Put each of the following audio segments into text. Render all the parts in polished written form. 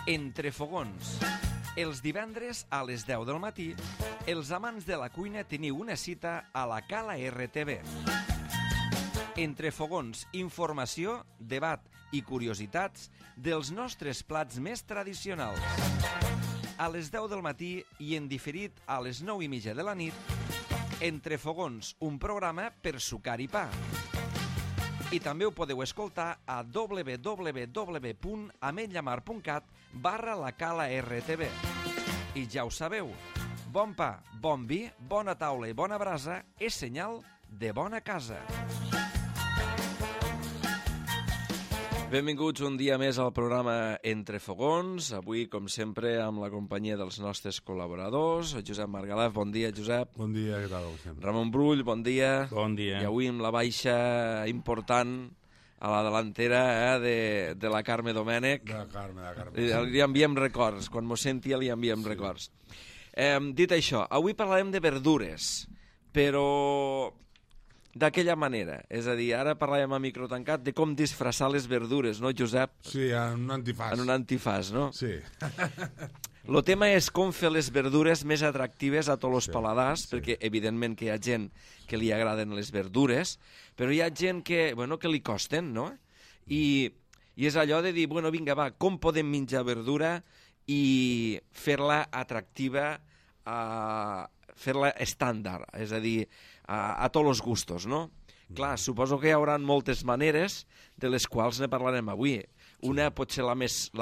Entre fogons. Els divendres a les 10 del matí, els amants de la cuina teniu una cita a la Cala RTV. Entre fogons, informació, debat i curiositats dels nostres plats més tradicionals. A les 10 del matí i en diferit a les 9:30 de la nit, Entre fogons, un programa per sucar i pa. I també ho podeu escoltar a www.ametlllamar.cat/la Cala RTV. I ja ho sabeu, bon pa, bon vi, bona taula i bona brasa és senyal de bona casa. Benvinguts un dia més al programa Entre Fogons. Avui, com sempre, amb la companyia dels nostres col·laboradors. Josep Margalef, bon dia, Josep. Bon dia, què tal? Ramon Brull, bon dia. Bon dia. I avui amb la baixa important a la delantera de la Carme Domènech. De la Carme. Li enviem records. Quan mos sentia li enviem records. Dit això, avui parlarem de verdures, però d'aquella manera. És a dir, ara parlàvem a micro tancat de com disfressar les verdures, no, Josep? Sí, en un antifàs. En un antifàs, no? Sí. El tema és com fer les verdures més atractives a tots els paladars, perquè evidentment que hi ha gent que li agraden les verdures, però hi ha gent que li costen, no? I és allò de dir, vinga, va, com podem menjar verdura i fer-la atractiva, fer-la estàndard, és a dir, a tots els gustos, no? Clar, suposo que hi haurà moltes maneres de les quals ne parlarem avui. Una, potser la més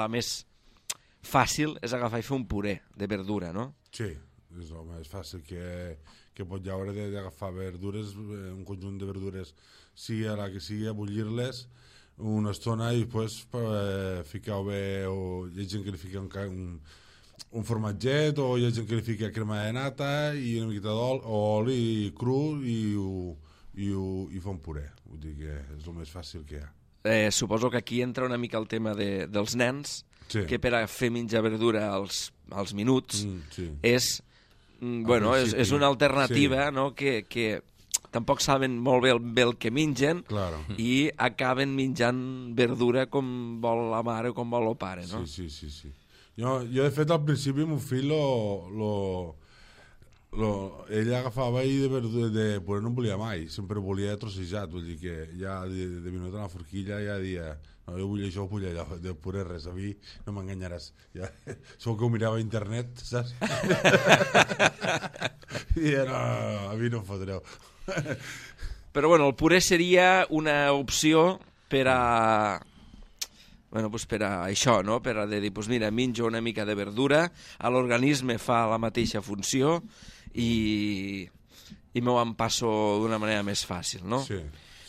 fàcil, és agafar i fer un puré de verdura, no? Sí, és el més fàcil que pot haure d'agafar verdures, un conjunt de verdures, sigui a la que sigui, a bullir-les una estona i després ficar-ho bé, o hi ha gent que li fica un formatget, o hi ha gent que li fica crema de nata i una miqueta d'oli cru i fa un puré. Vull dir que és el més fàcil que hi ha. Suposo que aquí entra una mica el tema dels nens, que per a fer menjar verdura als minuts és una alternativa, no? Que tampoc saben molt bé el que mengen i acaben menjant verdura com vol la mare o com vol el pare, no? Sí. Jo de fet, al principi, el meu fill, ell agafava i de puré no en volia mai, sempre volia trossejat, vull dir que ja de minuta a la forquilla ja dia, no, jo vull això, vull allò, de puré res, a mi no m'enganyaràs. Ja, segur que ho mirava a internet, saps? I no, a mi no em fotreu. Però bueno, el puré seria una opció per a això, no? Per a dir, mira, menjo una mica de verdura, a l'organisme fa la mateixa funció i m'ho empasso d'una manera més fàcil, no? Sí.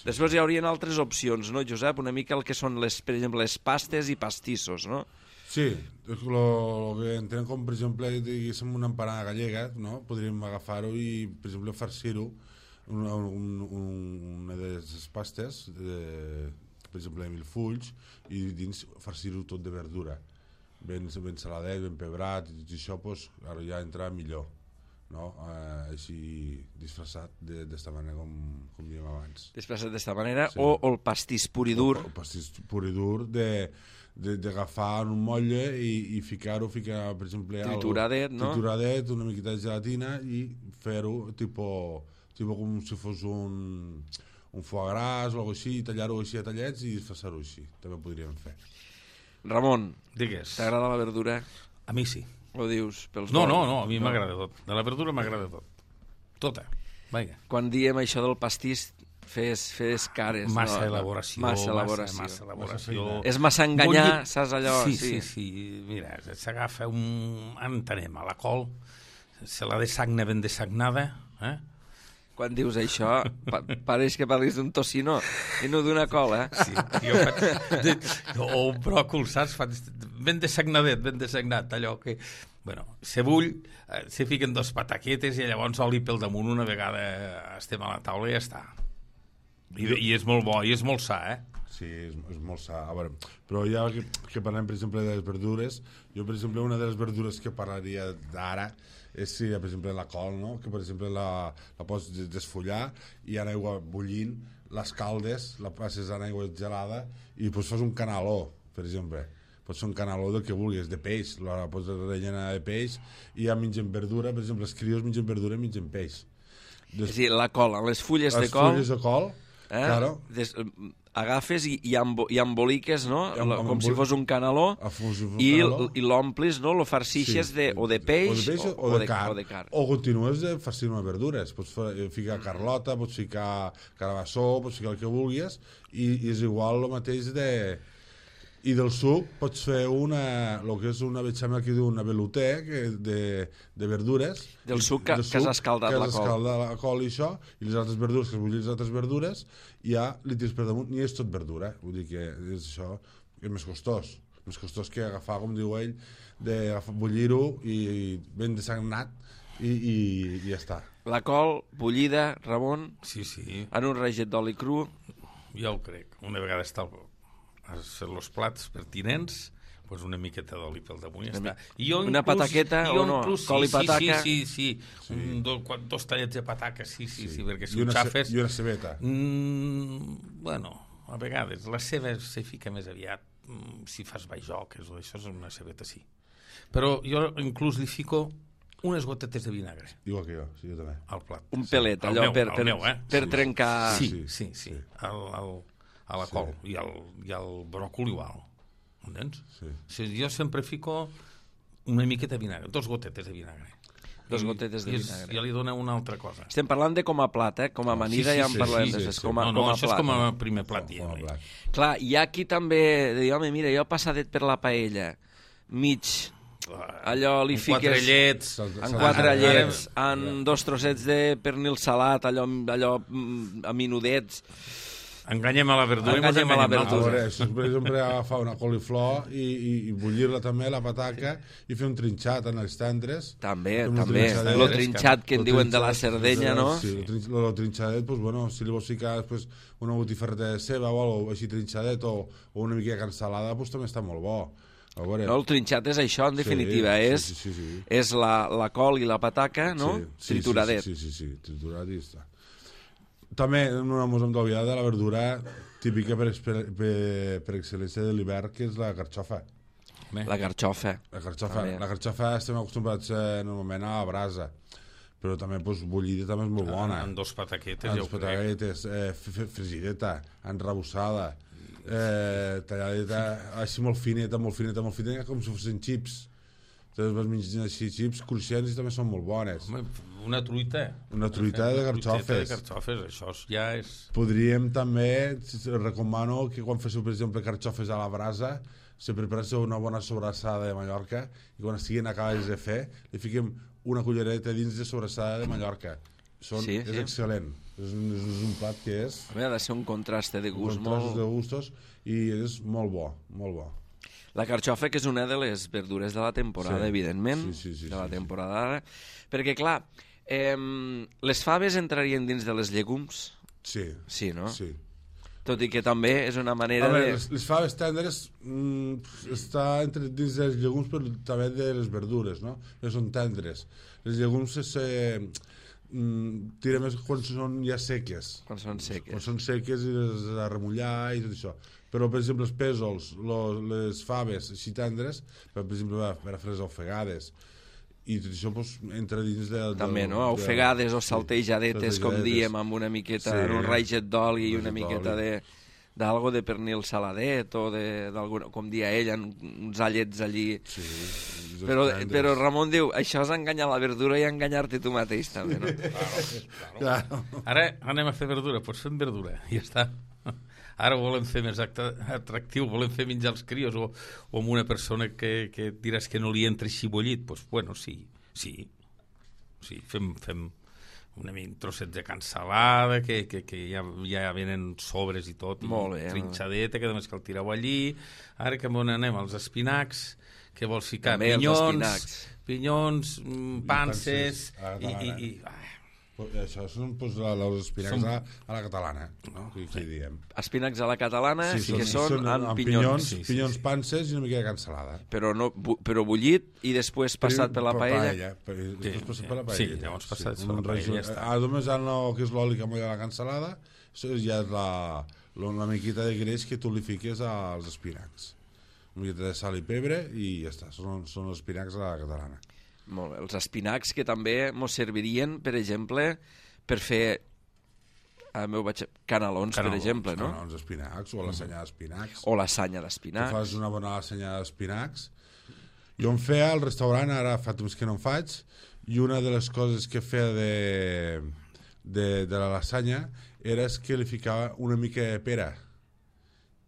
Després hi haurien altres opcions, no, Josep? Una mica el que són, per exemple, les pastes i pastissos, no? Sí, el que entenem com, per exemple, diguéssim una empanada gallega, no? Podríem agafar-ho i, per exemple, farcir-ho una de les pastes, per exemple, de milfulls, i dins farcir-ho tot de verdura. Ben saladet, ben pebrat, i tot això, doncs, ara ja entra millor, no? Així disfressat d'esta manera, com dèiem abans. Disfressat d'esta manera, o el pastís pur i dur. El pastís pur i dur d'agafar un motlle i ficar-ho, per exemple, trituradet, no? Trituradet, una miqueta de gelatina i fer-ho tipus com si fos un foie gras o alguna cosa així, tallar-ho així a tallets i disfressar-ho així, també ho podríem fer. Ramon, digues. T'agrada la verdura? A mi sí. O dius pels No, a mi m'agrada tot. De la verdura m'agrada tot. Tota. Vinga. Quan diem això del pastís, fes cares. Massa elaboració. Massa elaboració. És massa enganyar, saps allò? Sí. Mira, s'agafa entenem, a la col, se la dessagna ben dessagnada, Quan dius això, pareix que parlis d'un tocino i no d'una cola. Sí, jo faig... O un bròcol, saps? Ben dessagnat, allò que... Bueno, se bull, se fiquen dos pataquetes i llavors oli pel damunt una vegada estem a la taula i ja està. I és molt bo, i és molt sa, Sí, és molt sa. A veure, però ja que parlem, per exemple, de les verdures, jo, per exemple, una de les verdures que parlaria d'ara és, per exemple, la col, no? Que, per exemple, la pots desfollar i en aigua bullint, les caldes, la passes en aigua gelada i doncs fas un canaló, per exemple. pot ser un canaló del que vulguis, de peix, la pots rellenar de peix, i ja mengen verdura, per exemple, els crios mengen verdura i mengen peix. És a dir, la col, les fulles de les col... fulles de col, claro. Agafes i emboliques, no? Com si fos un canaló, i l'omplis, no? Lo farcixes o de peix o de carn. O continues farcint amb verdures. Pots ficar carlota, pots ficar carabassó, pots ficar el que vulguis, i és igual el mateix de... I del suc pots fer el que és una bechamel que diu una velouté de verdures. Del suc que has escaldat la col. Que has escaldat la col i això, i les altres verdures, que es bullir les altres verdures, i ja li tires per damunt, i és tot verdura. Vull dir que és això, és més costós. Més costós que agafar, com diu ell, bullir-ho i ben desagnat, i ja està. La col bullida, Ramon, sí. en un raget d'oli cru. Jo ho crec. Una vegada has fet els plats pertinents, pues una miqueta d'oli pel damunt i ja està. Una pataqueta o no? Col i pataca? Sí. Dos tallets de pataca, sí, perquè si ho xafes... I una cebeta. Bueno, a vegades. La ceba se fica més aviat. Si fas bajoques o això és una cebeta, sí. Però jo inclús li fico unes gotetes de vinagre. Igual que jo, sí, jo també. Al plat. Un pelet, allò per trencar... Sí. A la col i al bròcol igual, entens? Sí. Jo sempre fico una miqueta de vinagre, 2 gotetes de vinagre. 2 gotetes de vinagre. Ja li dona una altra cosa. Estem parlant de com a plat, com a amanida ja en parlem. No, això és com a primer plat. Clar, hi ha qui també diu, home, mira, jo passadet per la paella, mig... allò li fiques en 4 llets, en 2 trossets de pernil salat, allò a minudets. Enganyem a la verdura. Això és, per exemple, agafar una coliflor i bullir-la també, la pataca, i fer un trinxat en els tendres. També. Lo trinxat que en diuen de la Cerdanya, no? Sí, el trinxadet, si li vols ficar després una botifarreta de ceba o alguna cosa així trinxadet, o una mica de cansalada, també està molt bo. No, el trinxat és això, en definitiva. És la col i la pataca, no? Trituradet. Sí, triturat i està. També no ens hem d'oblidar de la verdura típica per excel·lència de l'hivern, que és la carxofa. La carxofa. La carxofa estem acostumbrats normalment a la brasa, però també bullida també és molt bona. En 2 pataquetes, fregideta, enrabussada, talladeta així molt fineta, com si fossin xips. Vas menjant així xips cruixents i també són molt bones. Una truita de carxofes. Això ja és... Podríem també, recomano que quan féssiu, per exemple, carxofes a la brasa, se prepareu una bona sobrassada de Mallorca i quan estiguin acabades de fer, li fiquem una cullereta dins de sobrassada de Mallorca. És excel·lent. És un plat que és... Ha de ser un contrast de gust molt... de gustos, i és molt bo, molt bo. La carxofa, que és una de les verdures de la temporada, evidentment, de la temporada d'ara, perquè, clar, les faves entrarien dins de les llegums? Sí, no? Sí. Tot i que també és una manera de... Les faves tendres està dins dels llegums, però també de les verdures, no? Que són tendres. Les llegums tira més quan són ja seques. Quan són seques i les de remullar i tot això. Però, per exemple, els pèsols, les faves així tendres, per exemple, per a fer les ofegades, i tot això entra dins del... També, no? Ofegades o saltejadetes, com diem, amb una miqueta, un raget d'oli i una miqueta d'algo de pernil saladet, o com dia ell, uns allets allí. Però Ramon diu, això és enganyar la verdura i enganyar-te tu mateix, també, no? Claro. Ara anem a fer verdura, doncs fem verdura, i ja està. Ara ho volem fer més atractiu, volem fer menjar els crios, o amb una persona que diràs que no li entra així bullit, doncs, bueno, sí, fem trossets de cansalada, que ja venen sobres i tot, i trinxadeta, que només cal tirar-ho allí. Ara que anem als espinacs, que vols ficar pinyons, panses, i això són els espinacs a la catalana, no? Què diem? Espinacs a la catalana, que són amb pinyons. Pinyons, panses i una mica de cansalada. Però bullit i després passat per la paella. Després passat per la paella. Sí, llavors passat per la paella, ja està. Només el que és l'oli que molla la cansalada, això ja és la miqueta de greix que tu li fiques als espinacs. una miqueta de sal i pebre i ja està, són els espinacs a la catalana. Molt bé, els espinacs que també mos servirien, per exemple, per fer canelons, per exemple, no? Canelons d'espinacs, o la sanya d'espinacs. O la sanya Tu d'espinacs. fas una bona sanya d'espinacs. Jo em feia al restaurant, ara fa temps que no en faig, i una de les coses que feia de la lasanya era que li ficava una mica de pera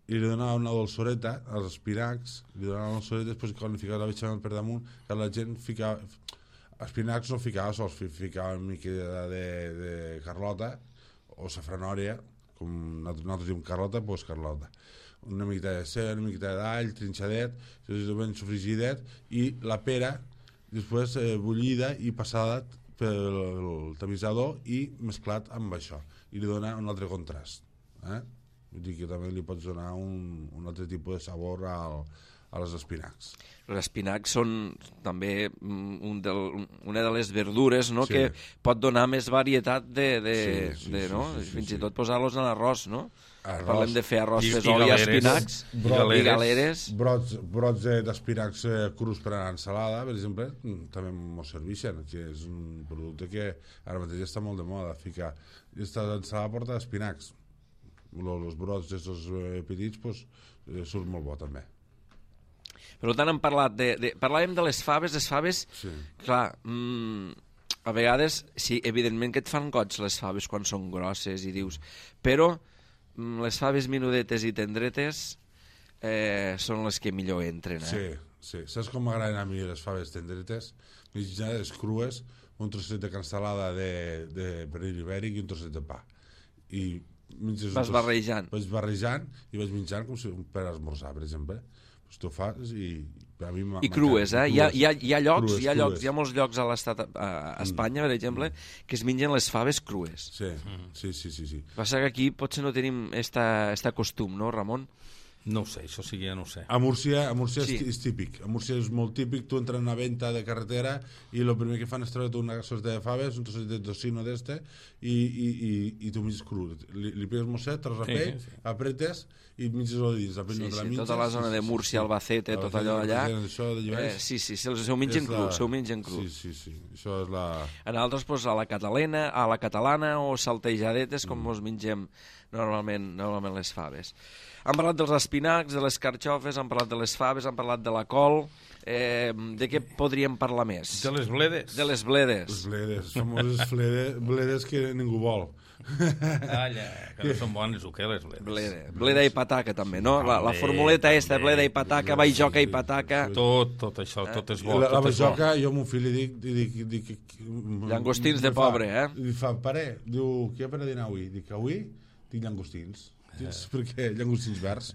i li donava una dolçoreta als espinacs, li donava una dolçoreta, després quan li ficava la bechamel per damunt, que la gent ficava... Espinacs no ficava sols, ficava una mica de carlota o safranòria, com nosaltres diem carlota, doncs carlota. Una miqueta de ceba, una miqueta d'all, trinxadet, ben sofrigidet, i la pera, després bullida i passada pel tamisador i mesclat amb això. I li dona un altre contrast. Vull dir que també li pots donar un altre tipus de sabor als espinacs. Els espinacs són també una de les verdures, no? Sí. Que pot donar més varietat Sí, no? sí, Fins sí. i tot posar-los en arròs, no? Arròs. Parlem de fer arròs, I fesol i galeres. espinacs. I galeres. Brots d'espinacs crus per a ensalada, per exemple, també m'ho serveixen, que és un producte que ara mateix està molt de moda, ficar. Aquesta ensalada porta espinacs. Els brots d'aquests petits pues, surt molt bo també. Per tant, hem parlat parlàvem de les faves, Sí. clar, a vegades, sí, evidentment que et fan goig les faves quan són grosses i dius, però les faves menudetes i tendretes són les que millor entren, Sí. Saps com m'agraden a mi les faves tendretes? Mitjades crues, un trosset de canstalada de pernil ibèric i un trosset de pa. I Vas barrejant. Vaig barrejant i vaig menjant com si per esmorzar, per exemple. Pues tu fas i a mi I crues, Hi ha llocs, crues. hi ha molts llocs a l'estat, a Espanya, per exemple, que es mengen les faves crues. Sí. Passa que aquí potser no tenim esta costum, no, Ramon? No ho sé, això sí que ja no ho sé. A Múrcia Sí. és típic. A Múrcia és molt típic, tu entres en una venta de carretera i el primer que fan és treure una sorta de faves, un trosset de tocino d'este i tu menges cru. Li pegues mosset, tros a pell, apretes i menges el dins. Tota la zona de Múrcia, Albacete, tot allò allà. Sí, se ho mengen cru. Sí. Això és la... En altres, doncs, a la catalana o saltejadetes, com mos mengem normalment les faves. Hem parlat dels espinacs, de les carxofes, hem parlat de les faves, hem parlat de la col. De què podríem parlar més? De les bledes. Les De les bledes. bledes, famoses bledes que ningú vol. Calla, que no són bones o què, les bledes? Bleda i pataca, també, no? La formuleta esta, bleda i pataca, baijoca i pataca. Tot això, tot és bo. La tot és bo. bajoca, jo a mon fill li dic Llangostins de pobre, Li fa, pare, diu, què per a dinar avui? Dic, avui tinc llangostins. Perquè llangostins verds.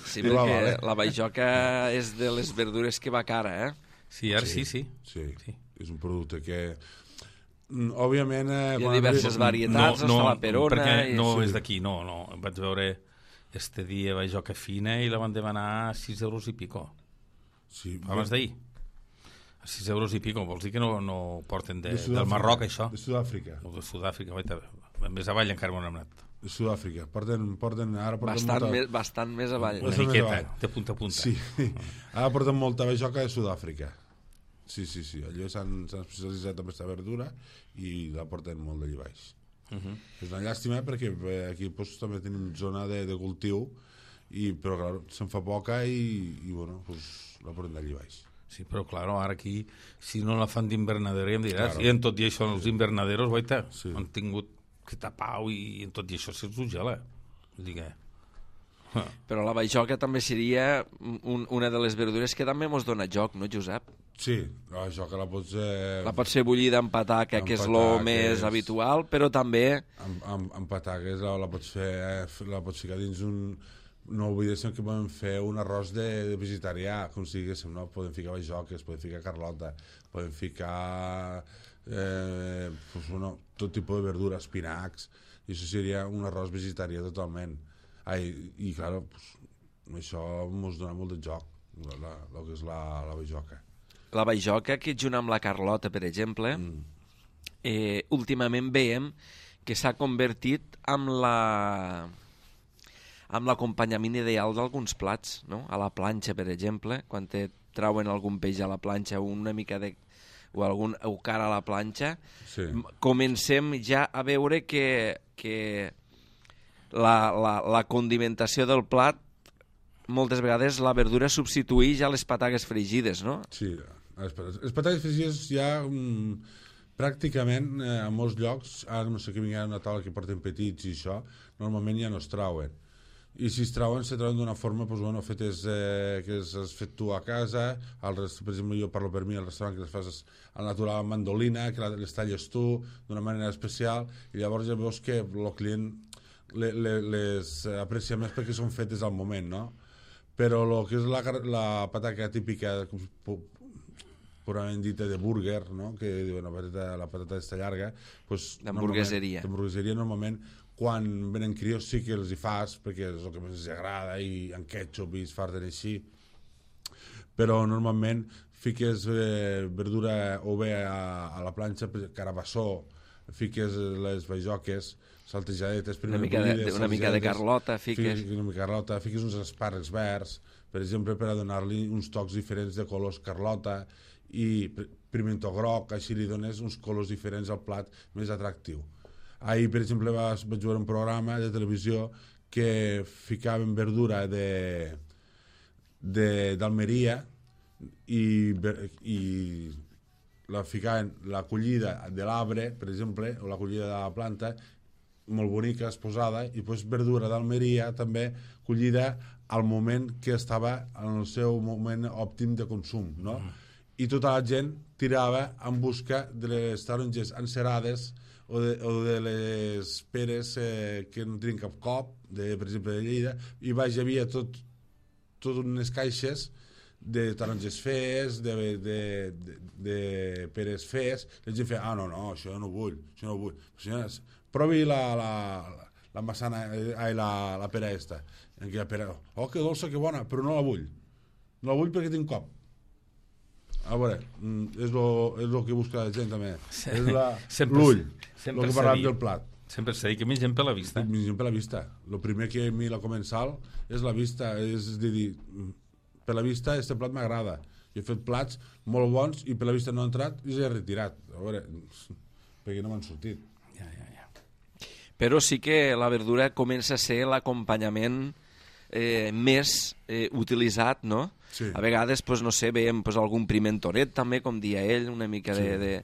Sí, I va, perquè vale. la baijoca és de les verdures que va cara, Sí, ara sí. Sí, és un producte que... Òbviament... Hi ha diverses varietats, està la perona... Perquè no és d'aquí, no. Vaig veure este dia bajoca fina i la van demanar a 6 euros i pico. Sí, Abans d'ahir. A 6 euros i pico. Vols dir que no porten del Sud-àfrica, Marroc, això? De Sud-àfrica. No, de Sud-àfrica. Més avall encara m'ho hem anat. De Sud-àfrica. Porten Bastant més avall. Una Bastant més miqueta, avall. de punta a punta. Sí. Ara porten molta bajoca de Sud-àfrica. Sí. Allò s'han especialitzat en aquesta verdura i la porten molt d'allà baix. És una llàstima perquè aquí pues, també tenim zona de cultiu però clar, se'n fa poca i bueno, pues, la porten d'allà baix. Sí, però clar, ara aquí, si no la fan d'invernadero, ja em diràs, Claro. i en tot i això els invernaderos, guaita, Sí. han tingut que tapar i en tot i això se'ls ho gela. Vull dir que... Però la baijoca també seria una de les verdures que també mos dona joc, no, Josep? Sí, això que la pots... La pot ser bullida amb pataca, que és el més habitual, però també... Amb pataques la pots fer, la pots ficar dins un... No oblidéssim que podem fer un arròs de vegetarià, com si diguéssim, no? Podem ficar bajoques, podem ficar carlota, podem ficar pues, bueno, tot tipus de verdura, espinacs, i això seria un arròs vegetarià totalment. I clar, pues, això ens dona molt de joc, el que és la bajoca. La baijoca, que junt amb la carlota, per exemple, últimament veiem que s'ha convertit amb l'acompanyament ideal d'alguns plats, no? A la planxa, per exemple, quan te trauen algun peix a la planxa o una mica de o algun eucar a la planxa, comencem ja a veure que la condimentació del plat moltes vegades la verdura substitueix ja les patates fregides, no? Sí, les patates fregides ja pràcticament a molts llocs, ara no sé que vingui una taula que porten petits i això, normalment ja no es trauen. I si es trauen d'una forma fetes que has fet tu a casa, per exemple jo parlo per mi al restaurant que les fas al natural amb mandolina, que les talles tu d'una manera especial i llavors ja veus que el client les aprecia més perquè són fetes al moment, no? Però el que és la patata típica purament dita de burger, no? Que diuen la patata està llarga, d'hamburgueseria normalment quan venen crios sí que els hi fas perquè és el que més els agrada i en ketchup i es farten així, però normalment fiques verdura o bé a la planxa, carabassó, fiques les bajoques saltejadetes, una mica de carlota fiques uns espàrrecs verds, per exemple, per a donar-li uns tocs diferents de colors carlota i pimentó groc, així li dones uns colors diferents al plat més atractiu. Ahir, per exemple, vaig veure un programa de televisió que ficaven verdura d'Almeria i la ficaven la collida de l'arbre, per exemple, o la collida de la planta, molt bonica, exposada, i després verdura d'Almeria també collida al moment que estava en el seu moment òptim de consum, no? I tota la gent tirava en busca de les taronges encerades o de les peres que no tenien cap cop, per exemple de Lleida, i hi havia tot unes caixes de taronges fees, de peres fees, i la gent feia, no, això no vull. Senyores, provi la massana, la pera esta. Aquella pera, que dolça, que bona, però no la vull. No la vull perquè tinc cop. A veure, és el que busca la gent també. És l'ull, el que parlàvem del plat. Sempre s'ha dit que mengem per la vista. Mengem per la vista. El primer que a mi la comensal és la vista, és dir, per la vista este plat m'agrada. Jo he fet plats molt bons i per la vista no ha entrat i s'ha retirat. A veure, perquè no m'han sortit. Ja. Però sí que la verdura comença a ser l'acompanyament més utilitzat, no? Sí. A vegades, no sé, veiem algun pimentonet també, com dia ell, una mica de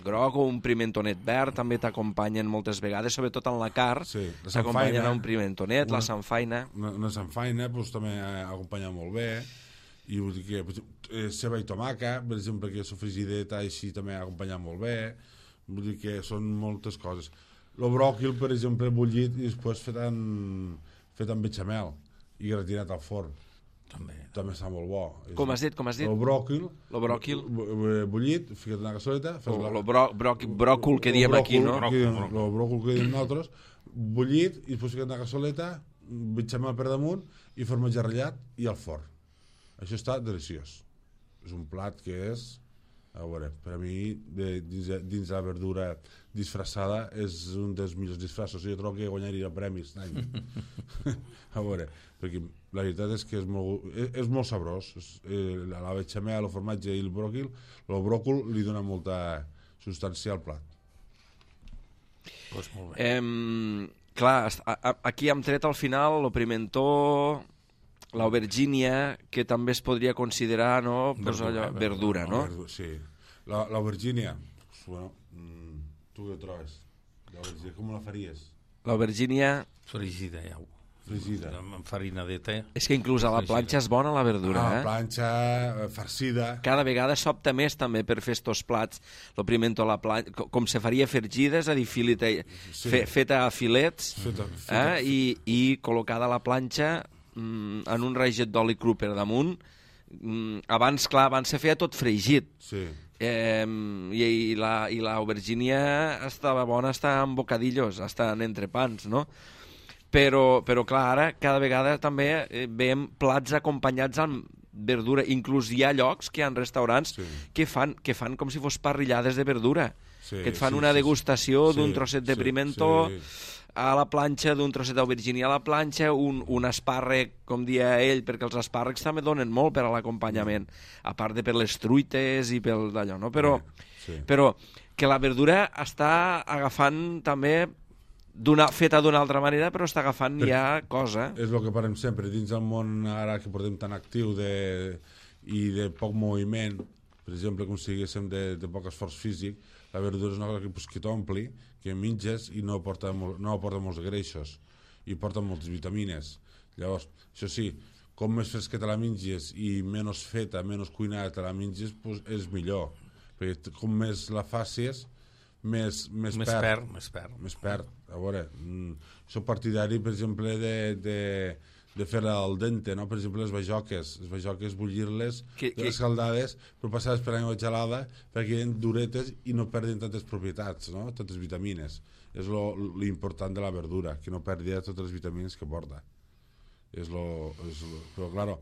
groc o un pimentonet verd també t'acompanyen moltes vegades, sobretot en la carn, t'acompanyen un pimentonet, la sanfaina. Una sanfaina també acompanya molt bé, i vull dir que ceba i tomaca, per exemple, que sofregideta així també acompanya molt bé, vull dir que són moltes coses. El bròquil, per exemple, bullit i després fet en bechamel i gratinat al forn. També està molt bo. Com has dit? El bròquil bullit, ficat en una cassoleta. Bròcol que diem aquí, no? El bròcol que diem nosaltres, bullit i després ficat en una cassoleta, bechamel per damunt i formatge ratllat i al forn. Això està deliciós. És un plat que és, a veure, per a mi dins la verdura disfressada és un dels millors disfressos. Jo trobo que guanyaria premis a veure, perquè la veritat és que és molt sabrós. La bechamel, el formatge i el bròcol li dona molta substància al plat. Molt bé. Clar, aquí hem tret al final el pimentó, l'aubergínia, que també es podria considerar, no? Verdura, no? Sí. L'aubergínia, tu què trobes? Com la faries? L'aubergínia... Fregida, fregida. Amb farinadeta. És que inclús a la planxa és bona la verdura, a la planxa, farcida. Cada vegada s'opta més també per fer estos plats. El pimentó a la planxa, com se faria fergida, és a dir, feta a filets, i col·locada a la planxa en un raiget d'oli cru per damunt. Abans se feia tot fregit. Sí. I l'aubergínia estava bona, està en bocadillos, està en entrepans, no? Però clar, ara cada vegada també veiem plats acompanyats amb verdura. Inclús hi ha llocs, que hi ha restaurants que fan com si fos parrillades de verdura, que et fan una degustació d'un trosset de pimentó a la planxa, d'un trosset d'aubergínia a la planxa, un espàrrec, com dia ell, perquè els espàrrecs també donen molt per a l'acompanyament, a part de per les truites i pel d'allò, no? Però que la verdura està agafant també feta d'una altra manera, però està agafant ja cosa. És el que parlem sempre, dins del món ara que portem tan actiu i de poc moviment, per exemple, com si diguéssim de poc esforç físic, la verdura és una cosa que t'ompli, que menges i no aporta molts greixos i porta moltes vitamines. Llavors, això sí, com més fresqueta la menges i menys feta, menys cuinada la menges, és millor, perquè com més la facis, més perd. A veure, soc partidari, per exemple, de fer-la al dente, no? Per exemple, les bajoques bullir-les, escaldades, però passades per aigua gelada, perquè queden duretes i no perdin tantes propietats, no? Tantes vitamines. És l'important de la verdura, que no perdi totes les vitamines que porta. Però, claro,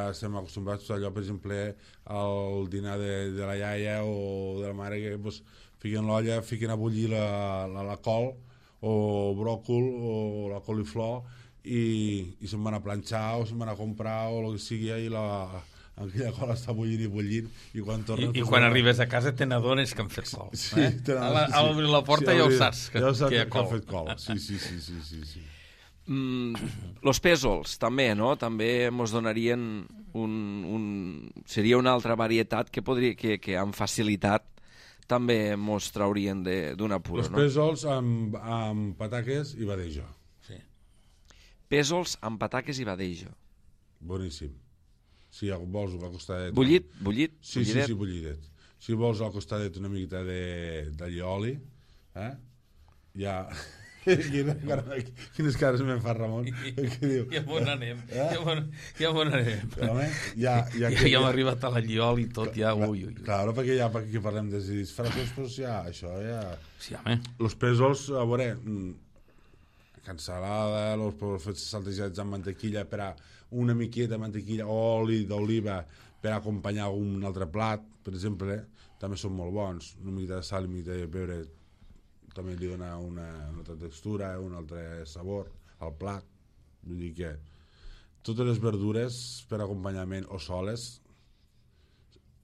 estem acostumbrats a allò, per exemple, al dinar de la iaia o de la mare, que fiquen l'olla, fiquen a bullir la col o bròcol o la coliflor i se'n van a planxar o se'n van a comprar o el que sigui i aquella col està bullint i quan tornen... I quan arribes a casa te n'adones que han fet col. Sí, a l'obrir la porta ja ho saps, que hi ha col. Han fet col, sí. Los pèsols, també, no? També mos donarien seria una altra varietat que amb facilitat també mos traurien d'un apuro, no? Els pèsols amb pataques i badejo. Sí. Pèsols amb pataques i badejo. Boníssim. Si vols al costadet... Bullit? Sí, bullidet. Si vols al costadet una miqueta d'allioli, ja... Quines cares me'n fa Ramon? Ja on anem. Ja on anem. Ja hem arribat a l'alliol i tot, ja... Claro, perquè ja que parlem de disfraços, doncs ja, això ja... Sí, home. Los pèsols, a veure, cansalada, els fets saltejats amb mantequilla, per a una miqueta de mantequilla, oli d'oliva, per acompanyar un altre plat, per exemple, també són molt bons. Una miqueta de sal i una miqueta de pebre també li dona una altra textura, un altre sabor al plat. Vull dir que totes les verdures per acompanyament o soles,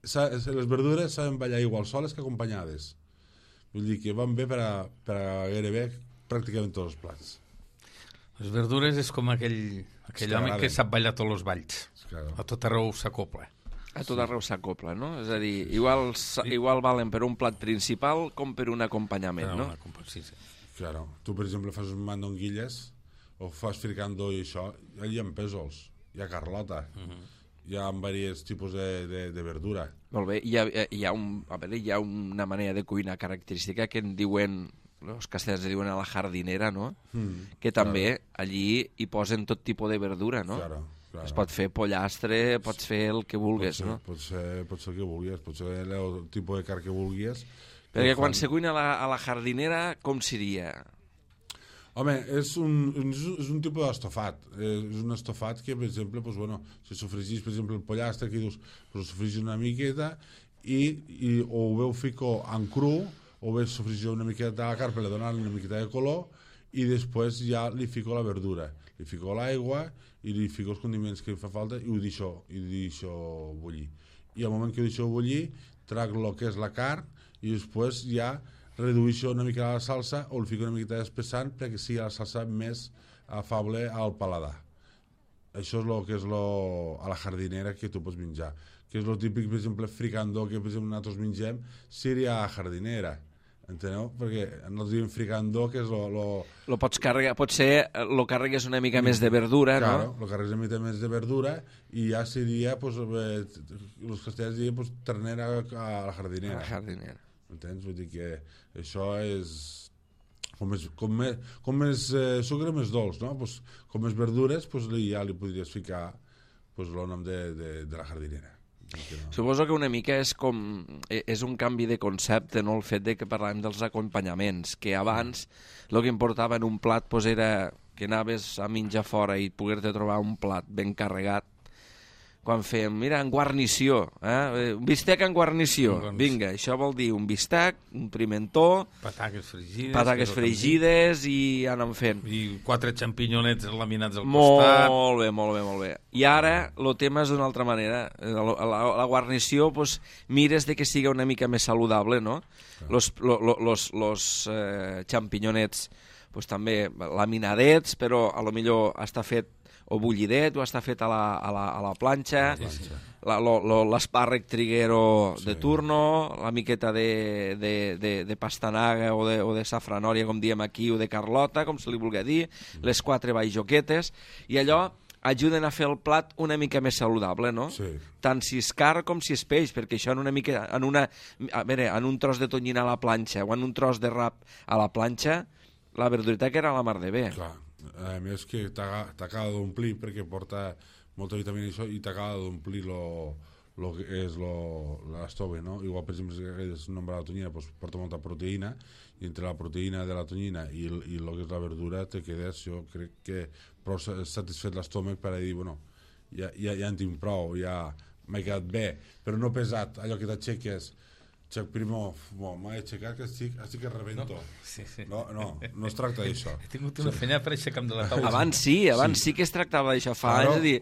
les verdures saben ballar igual soles que acompanyades. Vull dir que van bé per a gairebé pràcticament tots els plats. Les verdures és com aquell home que sap ballar tots els balls. A tot arreu s'acopla. A tot arreu s'acopla, no? És a dir, igual valen per un plat principal com per un acompanyament, no? Sí. Claro. Tu, per exemple, fas un mandonguilles o fas fricando i això, hi ha pèsols, hi ha carlota, hi ha diversos tipus de verdura. Molt bé. Hi ha una manera de cuinar característica que en diuen, els castellans diuen a la jardinera, no? Que també allí hi posen tot tipus de verdura, no? Claro. Es pot fer pollastre, pots fer el que vulguis, no? Pot ser el que vulguis, pot ser el tipus de carn que vulguis. Perquè quan se cuina a la jardinera, com seria? Home, és un tipus d'estofat. És un estofat que, per exemple, si sofregís, per exemple, el pollastre, que dius, sofregís una miqueta i o ho veu fico en cru, o bé sofregir una miqueta de la carn per donar-li una miqueta de color, i després ja li fico la verdura. Li fico l'aigua i li fico els condiments que li fa falta i ho deixo bullir. I al moment que ho deixo bullir, trac el que és la carn i després ja redueixo una mica la salsa o li fico una miqueta d'espessant perquè sigui la salsa més afable al paladar. Això és el que és a la jardinera que tu pots menjar. Que és el típic, per exemple, fricandó que per exemple nosaltres mengem seria a jardinera. Enteneu? Perquè nosaltres diem fricandó, que és lo pots carregar, potser lo carregues una mica més de verdura, no? Claro, lo carregues una mica més de verdura i ja seria, els castellans dirien, ternera a la jardinera. A la jardinera. Entens? Vull dir que això és... Com més sucre, més dolç, no? Com més verdures, ja li podries ficar el nom de la jardinera. Suposo que una mica és un canvi de concepte, no? El fet de que parlàvem dels acompanyaments, que abans el que importava en un plat era que anaves a menjar fora i poder-te trobar un plat ben carregat, quan fem, mira, en guarnició, un bistec en guarnició. Vinga, això vol dir un bistec, un pimentó, pataques fregides i anem fent. I 4 xampinyonets laminats al costat. Molt bé. I ara el tema és d'una altra manera. La guarnició, pues, mires de que siga una mica més saludable, no? Los xampinyonets pues, també laminadets, però a lo millor està fet o bullidet, o està fet a la planxa, l'espàrrec triguero de turno, la miqueta de pastanaga o de safranòria, com diem aquí, o de carlota, com se li vulgui dir, les 4 baijoquetes, i allò ajuden a fer el plat una mica més saludable, no? Sí. Tant si és car com si és peix, perquè això en un tros de tonyina a la planxa o en un tros de rap a la planxa, la verdureta que era la mar de bé. Clar. A més que t'acaba d'omplir perquè porta molta vitamina i això, i t'acaba d'omplir lo que és l'estove, no? Igual, per exemple, si hagués nombrat la tonyina, doncs porta molta proteïna, i entre la proteïna de la tonyina i el que és la verdura te quedes, jo crec que prou satisfet l'estómac per a dir, bueno, ja en tinc prou, ja m'he quedat bé, però no pesat, allò que t'aixeques, primer, m'he aixecat que estic que rebento. No es tracta d'això. He tingut una feina per aixecar-me de la taula. Abans sí que es tractava d'això, fa anys, de dir,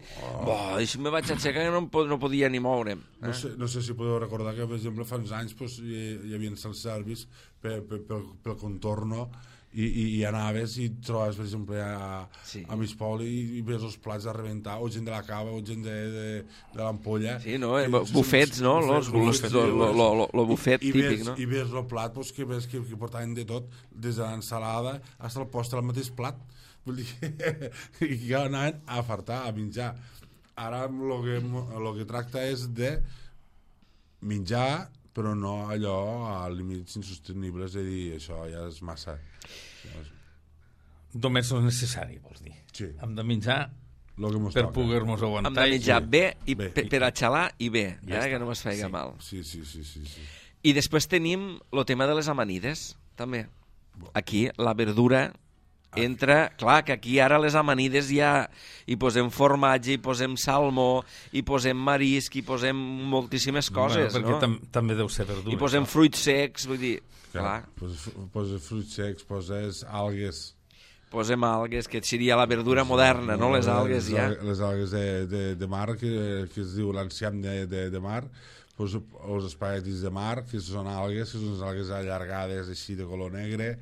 això me vaig aixecar que no podia ni moure'm. No sé si podeu recordar que, per exemple, fa uns anys hi havia self-service pel contorno, i anaves i trobes, per exemple, a mig poble i ves els plats a rebentar, o gent de la cava, o gent de l'ampolla. Sí, no? Bufets, no? Lo bufet típic, no? I ves el plat, que ves que portaven de tot, des de l'ensalada fins al postre, al mateix plat. Vull dir que anaven a fartar, a menjar. Ara el que tracta és de menjar, però no allò a límits insostenibles, de dir, això ja és massa. Només el necessari, vols dir. Sí. Hem de menjar per poder-nos aguantar. Hem de menjar bé, per a xalar i bé, que no es faci mal. Sí. I després tenim el tema de les amanides, també. Aquí, la verdura entra... Clar, que aquí ara les amanides ja hi posem formatge, hi posem salmó, hi posem marisc, hi posem moltíssimes coses, no? Perquè també deu ser verdura. Hi posem fruits secs, vull dir... Clar. Poses fruits secs, poses algues. Posem algues, que seria la verdura moderna, no? Les algues ja. Les algues de mar, que es diu l'enciam de mar, els espaguetis de mar, que són algues, que són algues allargades així de color negre.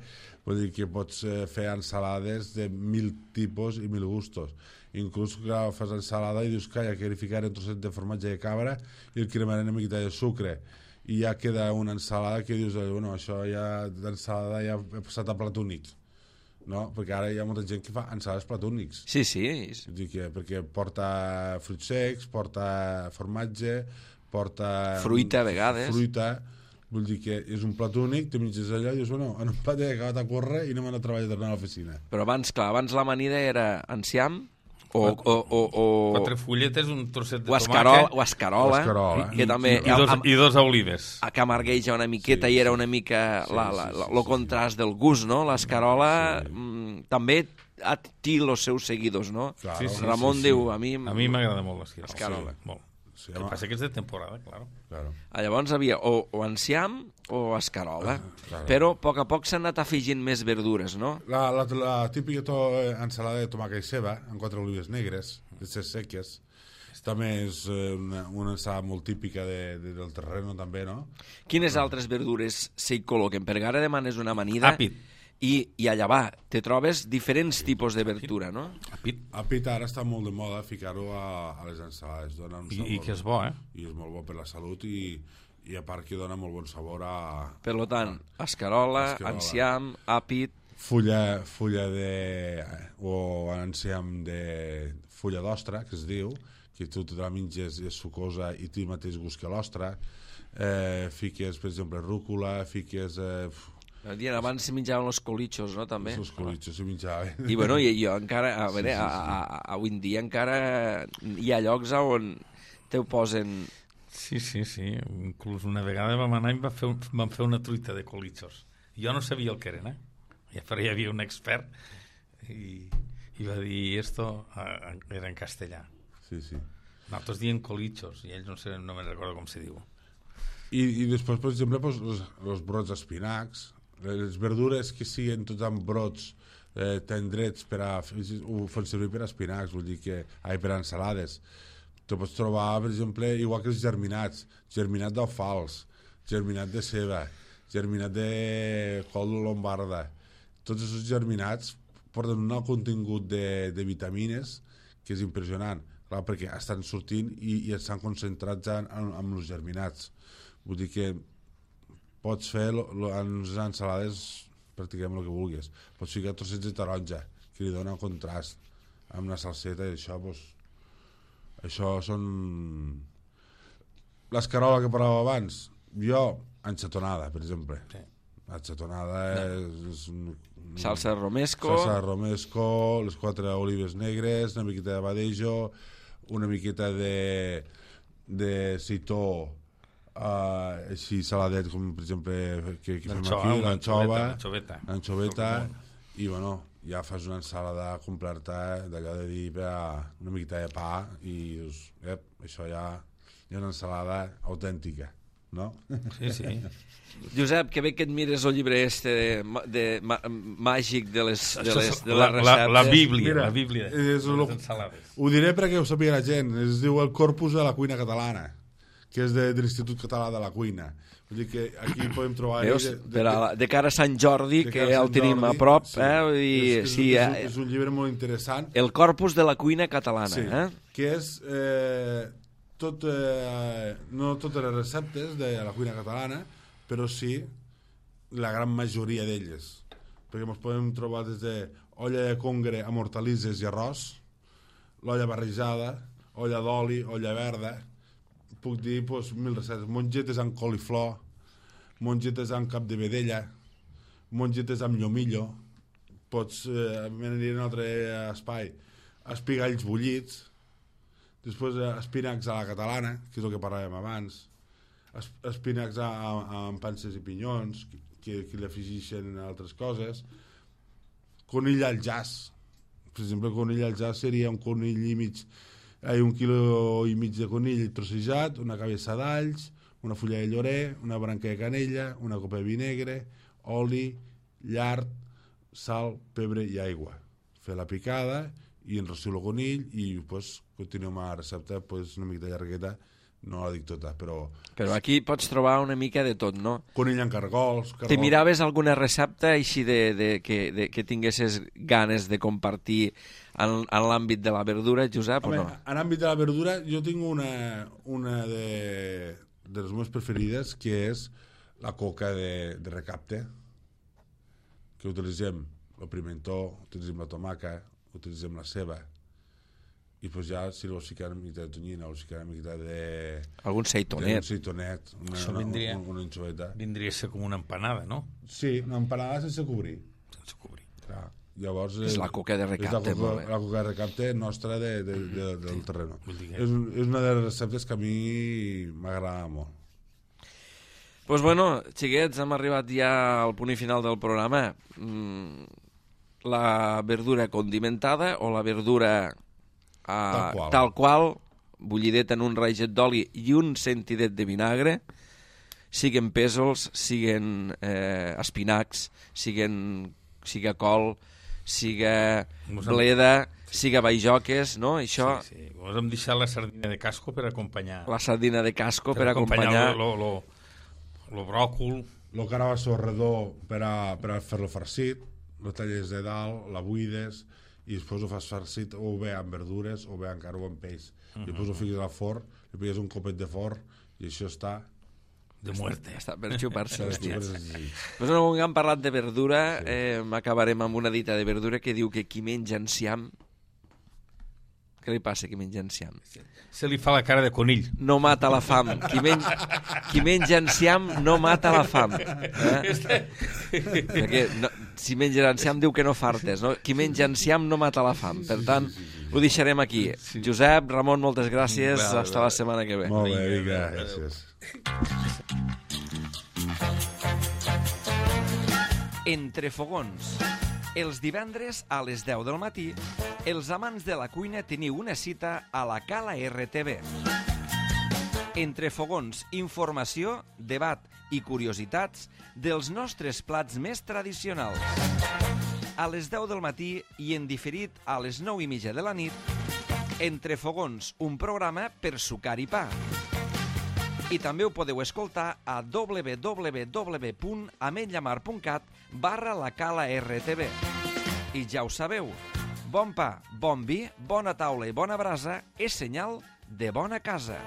Vull dir que pots fer ensalades de 1000 tipus i 1000 gustos. Inclús que fas ensalada i dius que hi ha que ficar un trosset de formatge de cabra i el cremaré una miqueta de sucre, i ja queda una ensalada que dius, bueno, això ja d'ensalada ja he passat a plat únic, no? Perquè ara hi ha molta gent que fa ensalades plat únics. Sí. Perquè porta fruits secs, porta formatge, porta... Fruita, a vegades. Vull dir que és un plat únic, te menges allò i dius, bueno, en un plat he acabat a córrer i no m'han a treballar tornar a l'oficina. Però abans l'amanida era enciam, o 4 fulletes, un trosset de tomàquet, o escarola, que també i 2 olives, que amargueja una miqueta, i era una mica el contrast del gust, no? L'escarola també té els seus seguidors, no? Ramon diu, a mi m'agrada molt l'escarola. Molt. Sí, el que passa que és de temporada, claro. Llavors havia o enciam o escarola, però a poc s'han anat afegint més verdures, no? La típica ensalada de tomàquet i ceba, amb 4 olives negres, de ses seques, també és una ensalada molt típica del terreno, també, no? Quines altres verdures s'hi col·loquen? Perquè ara demanes una amanida... Àpid. I allà va, te trobes diferents tipus de verdura, no? Àpid ara està molt de moda ficar-ho a les ensalades. Dona un sabor, I que és bo, I és molt bo per la salut i a part que dona molt bon sabor a... Per tant, escarola, enciam, àpid... Fulla o enciam de fulla d'ostra, que es diu, que tu te la menges, és sucosa i té el mateix gust que l'ostra. Fiques, per exemple, rúcula, fiques... Abans se menjaven els colitxos, no, també? Els colitxos se menjaven. I bueno, jo encara, avui en dia encara hi ha llocs on te ho posen... Sí. Inclús una vegada vam anar i vam fer una truita de colitxos. Jo no sabia el que eren, però hi havia un expert i va dir, esto era en castellà. Sí. Nosaltres diem colichos, i ells no me'n recordo com se diu. I després, per exemple, pues, els brots espinacs, les verdures que siguin tots amb brots tendrets per a... ho fan servir per a espinacs, vull dir que... per a ensalades. Te pots trobar, per exemple, igual que els germinats, germinat d'alfals, germinat de ceba, germinat de col lombarda. Tots aquests germinats porten un alt contingut de vitamines que és impressionant, clar, perquè estan sortint i estan concentrats en els germinats. Vull dir que pots fer en les ensalades pràcticament el que vulguis. Pots ficar trossets de taronja, que li dona contrast amb la salseta, i això, doncs, això són... L'escarola que parlàvem abans, jo, enxatonada, per exemple. Sí. Enxatonada és salsa romesco. Salsa romesco, les 4 olives negres, una miqueta de badejo, una miqueta de seitó, així saladet, com per exemple que fem aquí, l'anchoveta, i bueno, ja fas una ensalada completa d'allò de dir una miqueta de pa i dius, això ja és una ensalada autèntica, no? Sí, sí. Josep, que bé que et mires el llibre màgic de les receptes. La Bíblia, Mira, la Bíblia de les ensalades. Ho diré perquè ho sàpiga la gent. Es diu el Corpus de la Cuina Catalana, que és de l'Institut Català de la Cuina. Vull dir que aquí podem trobar... Veus? De cara a Sant Jordi, que el tenim a prop. És un llibre molt interessant. El Corpus de la Cuina Catalana. Que és... no totes les receptes de la cuina catalana, però sí la gran majoria d'elles, perquè ens podem trobar des de olla de congre amb hortalisses i arròs, l'olla barrejada, olla d'oli, olla verda, puc dir 1000 receptes, mongetes amb coliflor, mongetes amb cap de vedella, mongetes amb llomillo, pots venir en un altre espai, espigalls bullits, després espinacs a la catalana, que és el que parlàvem abans, espinacs amb panses i pinyons, que li afegeixen altres coses, conill al jazz. Per exemple, conill al jazz seria un conill i mig, 1,5 quilos de conill trossejat, una cabeça d'alls, una fulla de llorer, una branca de canella, una copa de vi negre, oli, llard, sal, pebre i aigua. Fer la picada i enrossir el conill i pues, continuem amb la recepta, pues, una miqueta llargueta, no la dic tota, però... Però aquí pots trobar una mica de tot, no? Conill amb cargols... Te miraves alguna recepta així que tinguesses ganes de compartir en l'àmbit de la verdura, Josep, o no? En l'àmbit de la verdura jo tinc una de les meves preferides, que és la coca de recapte, que utilitzem el pimentó, utilitzem la tomaca, utilitzem la ceba, i pues ja si vols ficar una miqueta de tonyina o ficar una miqueta de... Algun seitonet. Una enchoveta. Vindria a ser com una empanada, no? Sí, una empanada sense cobrir. Sense cobrir. Clar. Llavors, és la coca de recapte. La coca de recapte nostra del terreno. És una de les receptes que a mi m'agrada molt. Doncs bueno, xiquets, hem arribat ja al punt final del programa. La verdura condimentada o la verdura tal qual, bullideta en un raiget d'oli i un centidet de vinagre, siguen pèsols, siguen espinacs, siga col, siga bleda, siga baijoques, no? Això... Sí. Vos hem deixat la sardina de casco per acompanyar... La sardina de casco per acompanyar... Lo bròcol... El carabasso redó per a fer-lo farcit, lo talles de dalt, la buides, i després ho fas farcit o bé amb verdures o bé encara amb peix. I després ho fiques al forn, li pigues un copet de forn i això està... De muerte. Està per xupar-se els dits. Pues no, quan hem parlat de verdura, acabarem amb una dita de verdura que diu que qui menja enciam... Què li passa qui menja enciam? Se li fa la cara de conill. No mata la fam. Qui menja enciam no mata la fam. Perquè si menges enciam diu que no fartes, no? Qui menja enciam no mata la fam. Per tant, ho deixarem aquí. Josep, Ramon, moltes gràcies. Hasta la setmana que ve. Molt bé, vinga, gràcies. Entre fogons, Els divendres a les 10 del matí, els amants de la cuina teniu una cita a la Cala RTV. Entre fogons, informació, debat i curiositats dels nostres plats més tradicionals. A les 10 del matí i en diferit a les 9:30 de la nit, Entre fogons, un programa per sucar i pa. I també ho podeu escoltar a www.ametlllamar.cat/la Cala RTV. I ja ho sabeu, bon pa, bon vi, bona taula i bona brasa és senyal de bona casa.